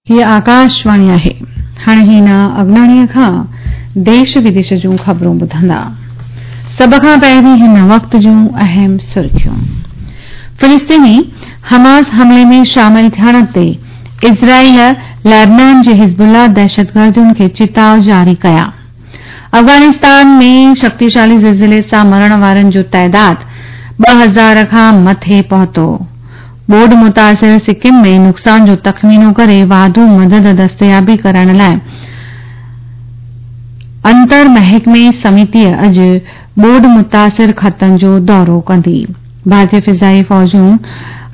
هيء آڪاشواڻي آهي. هاڻي هينا اگناڻيء کان ديش وديش جون خبرون ٻڌندا. سڀ کان پهرين هن وقت جون اهم سرخيون. فلسطيني حماس حملي ۾ شامل ٿيڻ تي اسرائيل لبنان جي حزب الله دهشتگردن کي چتاء جاري ڪيا. افغانستان ۾ شڪتيشالي زلزلي سان مرڻ وارن جو تعداد 2000 کان مٿي پهتو. ٻوڏ متاثر سڪم ۾ نقصان جو تخمينو ڪري واڌو مدد دستيابي ڪرائڻ لاء انتر محڪمي سميتي اڄ ٻوڏ متاثر خطن جو دورو ڪندي. ڀارتي فضائي فوجون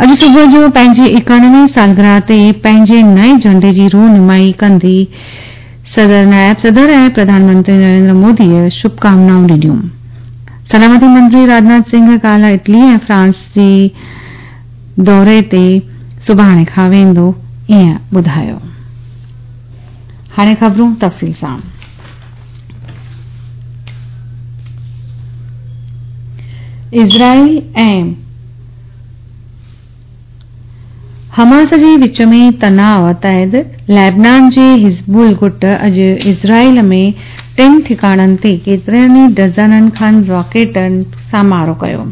اڄ صبح جو پنهنجي ايڪانوي سالگرهه تي پنهنجي نئين جهنڊي جي رونمائي ڪندي. صدر، نائب صدر ۽ پرڌان منتري نريندر موديء شڀڪامنائون ڏنيون. سلامتي منتري راجناٿ سنگهه ڪالهه اٽلي ۽ فرانس جي دوري تي سڀاڻي کان ويندو ائين ٻڌايو. هاڻي خبرون تفصيل سان. اسرائيل ۽ حماس جي وچ ۾ تناء تحت لبنان جي حزب الله گٽ اڄ اسرائيل ۾ ٽن ٺڪاڻن تي ڪيترن ئي ڊزنن کن راڪيٽن سان مارو ڪيو.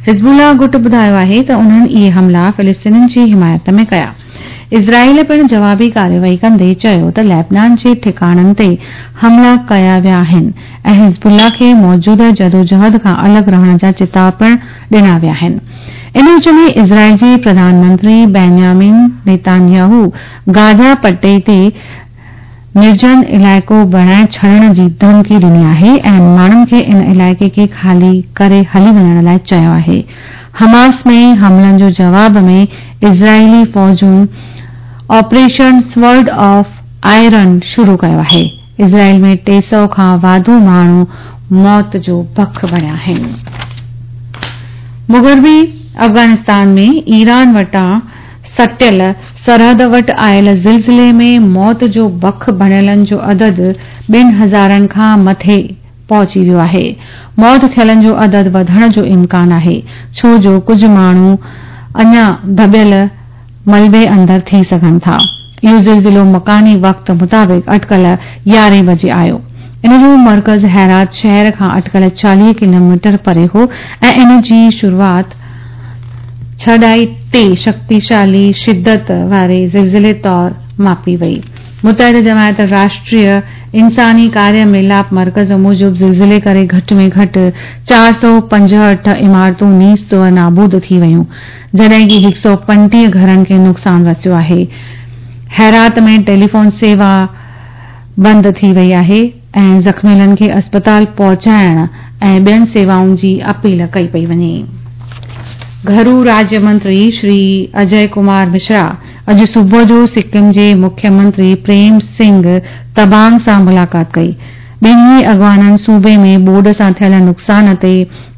حزب الله گٽ ٻڌايو آهي ته انهن اهي حملا فلسطينين جي حمايت ۾ ڪيا. اسرائيل پڻ جوابي ڪارروائي ڪندي چيو ته لبنان جي ٺڪاڻن تي حملا ڪيا ويا آهن ۽ حزب الله کي موجوده جدوجهد کان الڳ رهڻ جا چتاء پڻ ڏنا ويا آهن. ان وچ ۾ اسرائيل جي پرڌان منتري بينيامين نيتانياهو گازا پٽي تي نرجن علائقو بڻائي ڇڏڻ جي ڌمڪي ڏني آهي ۽ ماڻهن کي ان علائقي کي خالي ڪري هلي وڃڻ لاء چيو آهي. حماس ۾ حملن جو جواب ۾ اسرائيلي فوجن آپريشن سورڊ آف آئرن شروع ڪيو آهي. اسرائيل ۾ 300 کان واڌو ماڻهو موت جو بک بڻيا آهن. مغربي افغانستان ۾ ايران وٽان سٽيل سرحد وٽ آيل زلزلي ۾ موت جو بک بڻيلن جو عدد ٻن هزارن کان مٿي پهچي ويو آهي. موت ٿيلن جو عدد وڌڻ جو امڪان آهي، ڇو جو ڪجهه ماڻهو اڃا دٻيل ملبي اندر ٿي سگهن ٿا. اهو زلزلو مڪاني وقت مطابق اٽڪل يارهين بجي آيو. ان جو مرڪز هيرات شهر کان اٽڪل 40 ڪلوميٽر پري هو ۽ ان جي شروعات 6.3 شڪتيشالي شدت واري زلزلي طور ماپي وئي. متحده جماعت راشٽريه انساني ڪاريه ميلاپ مرڪز موجب زلزلي ڪري گهٽ ۾ گهٽ 465 عمارتون نيست و نابود ٿي ويون جڏهن ڪي 135 گهرن کي نقصان رسيو آهي. هيرات ۾ ٽيليفون سيوا بند ٿي وئي آهي ۽ زخميلن کي اسپتال پهچائڻ ۽ ٻين سيوائن جي اپيل ڪئي پئي وڃي. گهرو راجيه منتري شري اجي ڪمار مشرا اڄ صبح جو سڪم جي مکيه منتري پريم سنگهه تبانگ سان ملاقات ڪئي. ٻنهي اڳواڻن صوبي ۾ ٻوڏ سان ٿيل نقصان تي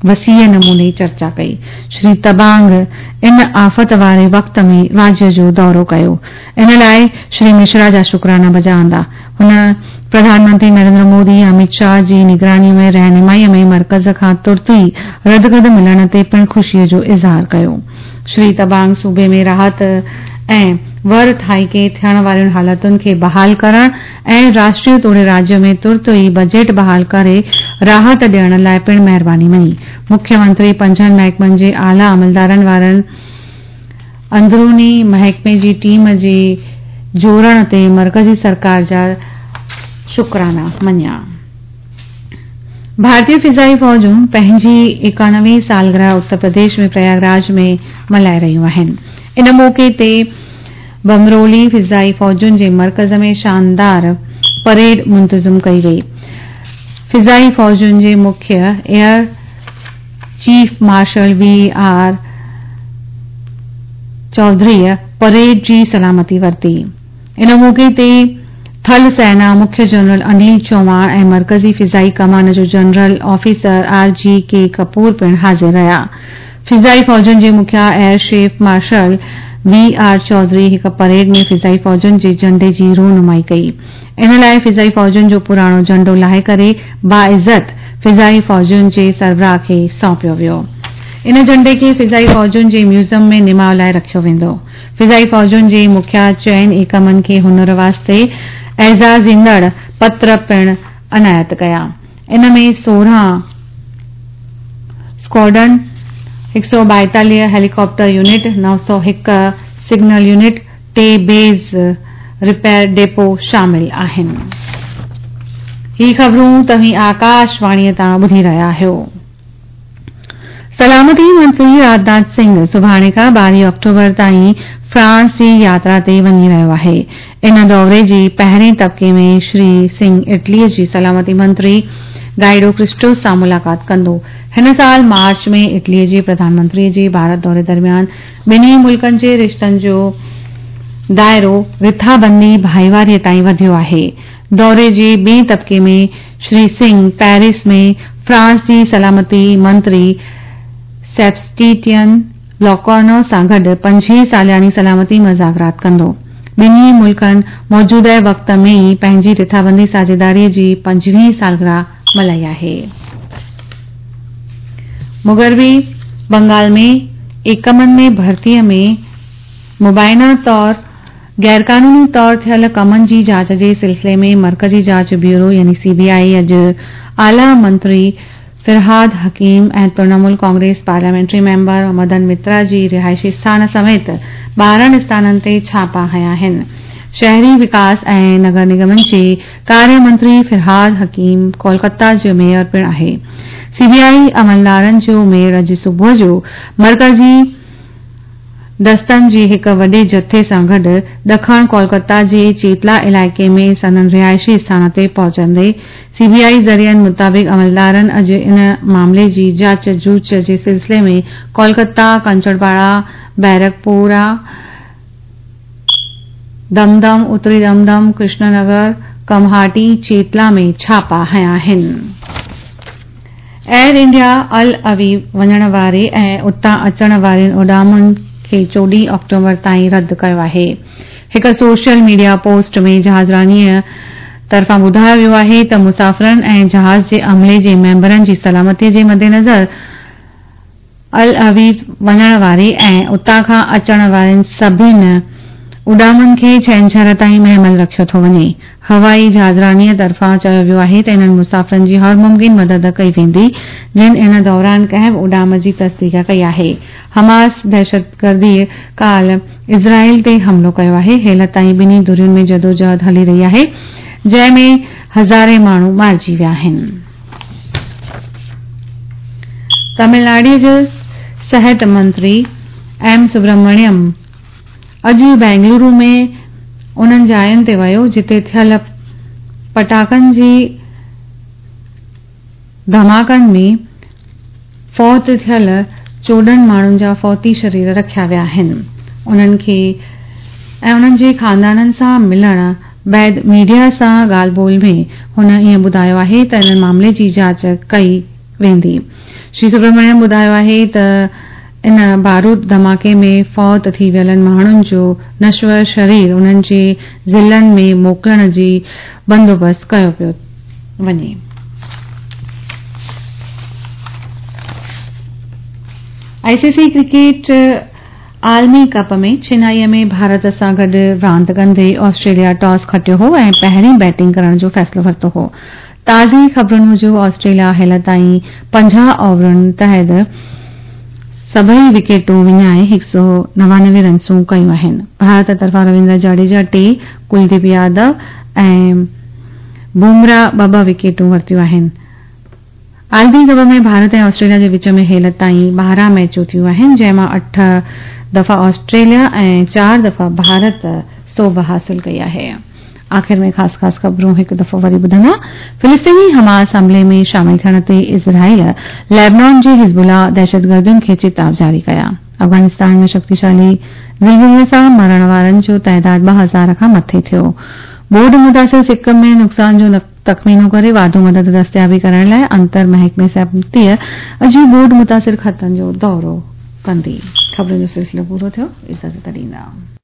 وسيع نموني چرچا ڪئي. شري تبانگ ان آفت واري وقت ۾ راجيه جو دورو ڪيو. ان لاء شري مشرا جا شڪرانا بجا آندا. هن پرڌان منتري نريندر مودي ۽ اميت شاهه جي نگراني ۾ رهنمائي ۾ مرڪز کان ترت ئي ردگد ملڻ تي پڻ خوشي جو اظهار ڪيو. شري تبانگ صوبي ۾ راحت ۽ ور ٿائيڪي ٿيڻ وارين حالتن کي بحال ڪرڻ ۽ راشٽريه توڙي راجيه ۾ ترت ئي بجيٽ بحال ڪري راحت ڏيڻ لاء پڻ مهرباني مڃي. مکيه منتري پنجن محڪمن جي اعليٰ عملدارن وارن اندروني محڪمي جي ٽيم جي جوڙڻ تي مرڪزي سرڪار جا شڪرانا مڃيا. ڀارتي فضائي فوجون پنهنجي ايڪانوي سالگرهه اتر پرديش ۾ پرياگ راج ۾ ملهائي رهيون آهن. ان موقعي تي بمرولي فضائي فوجن جي مرڪز ۾ شاندار پريڊ منتظم ڪئي وئي. فضائي فوجن جي مکيه air chief marshal V R چوڌريء parade جي سلامتي ورتي. ان موقعي تي ٿل سينا مکيه جنرل انيل چوهاڻ ۽ مرڪزي فضائي ڪمان جو general officer R G K Kapoor پڻ حاضر رهيا. فضائي فوجن جي مکيه air chief marshal V R Chaudhari هڪ پريڊ ۾ فضائي فوجن جي جهنڊي جي رونمائي ڪئي. ان لاء فضائي فوجن جو پراڻو جهنڊو لاهي ڪري باعزت فضائي فوجن جي سربراهه کي سونپيو ويو. ان جهنڊي کي فضائي فوجن جي ميوزم ۾ نماء لاءِ رکيو ويندو. فضائي فوجن جي مکيا چئن ايڪمن کي هنر واسطي اعزازيندڙ پتر پڻ عنايت ڪيا. ان ۾ 16 squadron, 142 helicopter unit, 901 signal unit, ٽي بيس رپيئر ڊپو شامل آهن. هي خبرون توهين آڪاش واڻي تان ٻڌي رهيا آهيو. سلامتي منتري راجناٿ سنگهه سڀاڻي کان 12 آڪٽوبر تائين فرانس جي ياترا تي وڃي رهيو آهي. ان دوري جي پهرين طبقي ۾ شري سنگهه اٽلي جي سلامتي منتري گائيڊو ڪرسٽو سان ملاقات ڪندو. هن سال مارچ ۾ اٽلي جي پرڌان منتري جي ڀارت دوري درميان ٻنهي ملڪن جي رشتن جو دائرو رٿابندي ڀائيواري تائين وڌيو آهي. دوري جي ٻئي طبقي ۾ شري سنگهه پيرس ۾ فرانس جي سلامتي منتري سيبسٽين لاڪارنو سان گڏ پنجين سالياني سلامتي مذاڪرات ڪندو. ٻنهي ملڪن موجوده وقت ۾ ئي پنهنجي رٿابندي ساجهيداري جي 25 سالگرهه ملهائي آهي. مغربي بنگال ۾ ايڪمن ۾ ڀرتي ۾ مبينا طور غيرقانوني طور ٿيل ڪمن جي جاچ جي سلسلي ۾ مرڪزي جاچ بيورو يعني سي بي آء اڄ اعليٰ منتري فرهاد حڪيم ۽ ترڻمول ڪانگريس پارليامينٽري ميمبر مدن مترا جي رهائشي اسٿان سميت 12 اسٿانن تي ڇاپا هنيا آهن. شهري وڪاس ۽ نگر نگمن جي ڪاريه منتري فرهاد حڪيم ڪولڪتا جو ميئر پڻ آهي. سي بي آء عملدارن جو ميڙ اڄ صبح جو مرڪزي دستن جي هڪ وڏي جٿي سان گڏ ڏکڻ ڪولڪتا جي چيتلا علائقي ۾ سندن رهائشي اسٿان تي پهچندي. سي بي آء ذريعن مطابق عملدارن اڄ ان معاملي جي جاچ جوچ جي سلسلي ۾ ڪولڪتا، ڪنچڙپاڙا، بيرڪپورا، دمدم، اتري دمدم، ڪرشن نگر، ڪمهاٽي، چيتلا ۾ ڇاپا هنيا آهن. ايئر انڊيا ال اويو وڃڻ واري ۽ اتان اچڻ وارين اڏامن کي 14 آڪٽوبر تائين رد ڪيو آهي. هڪ سوشل ميڊيا پوسٽ ۾ جهازرانيء طرفان ٻڌايو ويو آهي ته مسافرن ۽ جهاز جي عملي جي ميمبرن جي سلامتي جي مدنظر ال اويو وڃڻ واري ۽ اتان کان اچڻ وارين سڀن اڏامن کي ڇنڇر تائين مهمل رکيو ٿو وڃي. هوائي جهازرانيء طرفان چيو ويو آهي ته انهن مسافرن جي هر ممڪن مدد ڪئي ويندي، جن ان دوران ڪنهن به اڏام جي تصديق ڪئي آهي. حماس دهشتگرديء ڪالهه اسرائيل تي حملو ڪيو آهي. هيل تائين ٻنهي ڌرين ۾ جدوجهد هلي رهي آهي، جنهن ۾ هزارين ماڻهو مارجي ويا آهن. تامل ناڊو جو صحت منتري ايم سبرامڻيم اڄ بينگلورو ۾ انهن جاين تي ويو جتي ٿيل پٽاخن جي ڌماڪن ۾ فوت ٿيل 14 ماڻهن جا فوتي شرير رکيا ويا آهن. انهن کي ۽ انهن جي خاندانن سان ملڻ بعد ميڊيا سان ڳالهه ٻولهه ۾ هن ائين ٻڌايو آهي ته ان معاملي جي جاچ ڪئي ويندي. شري سبرامڻيم ٻڌايو آهي ته ان بارود ڌماڪي ۾ فوت ٿي ويلن ماڻهن جو نشور شرير انهن جي ضلعن ۾ موڪلڻ جي بندوبست ڪيو پيو وڃي. آء سي سي ڪرڪيٽ عالمي ڪپ ۾ چنائي ۾ ڀارت سان گڏ راند ڪندي آسٽريليا ٽاس کٽيو هو ۽ پهرين بيٽنگ ڪرڻ جو فيصلو ورتو هو. تازي خبرن موجب آسٽريليا هيل تائين 50 اوورن تحت سڀئي وڪيٽون وڃائي 199 رنسون ڪيون آهن. ڀارت طرفان رويندر جاڙيجا ٽي، ڪلديپ يادو ۽ بومرا ٻه ٻه وڪيٽون ورتيون آهن. عالمي ڪپ ۾ ڀارت ۽ آسٽريليا جي وچ ۾ هيل تائين 12 ميچون ٿيون آهن، جنهن مان اٺ دفعا آسٽريليا ۽ چار دفعا ڀارت سوڀ حاصل ڪئي آهي. آخر ۾ خاص خاص خبرون هڪ دفعو وري ٻڌندا. فلسطيني حماس حملي ۾ شامل ٿيڻ تي اسرائيل ليبنان جي حزب الله دهشتگردن کي چتاء جاري ڪيا. افغانستان ۾ شڪتيشالي زلزلي سان مرڻ وارن جو تعداد 2000 کان مٿي ٿيو. ٻوڏ متاثر سڪم ۾ نقصان جو تخمينو ڪري واڌو مدد دستيابي ڪرائڻ لاء انتر محڪمي سمتيء اڄ ٻوڏ متاثر خطن جو دورو ڪندي. خبرن جو سلسلو پورو ٿيو. اجازت ڏيندا.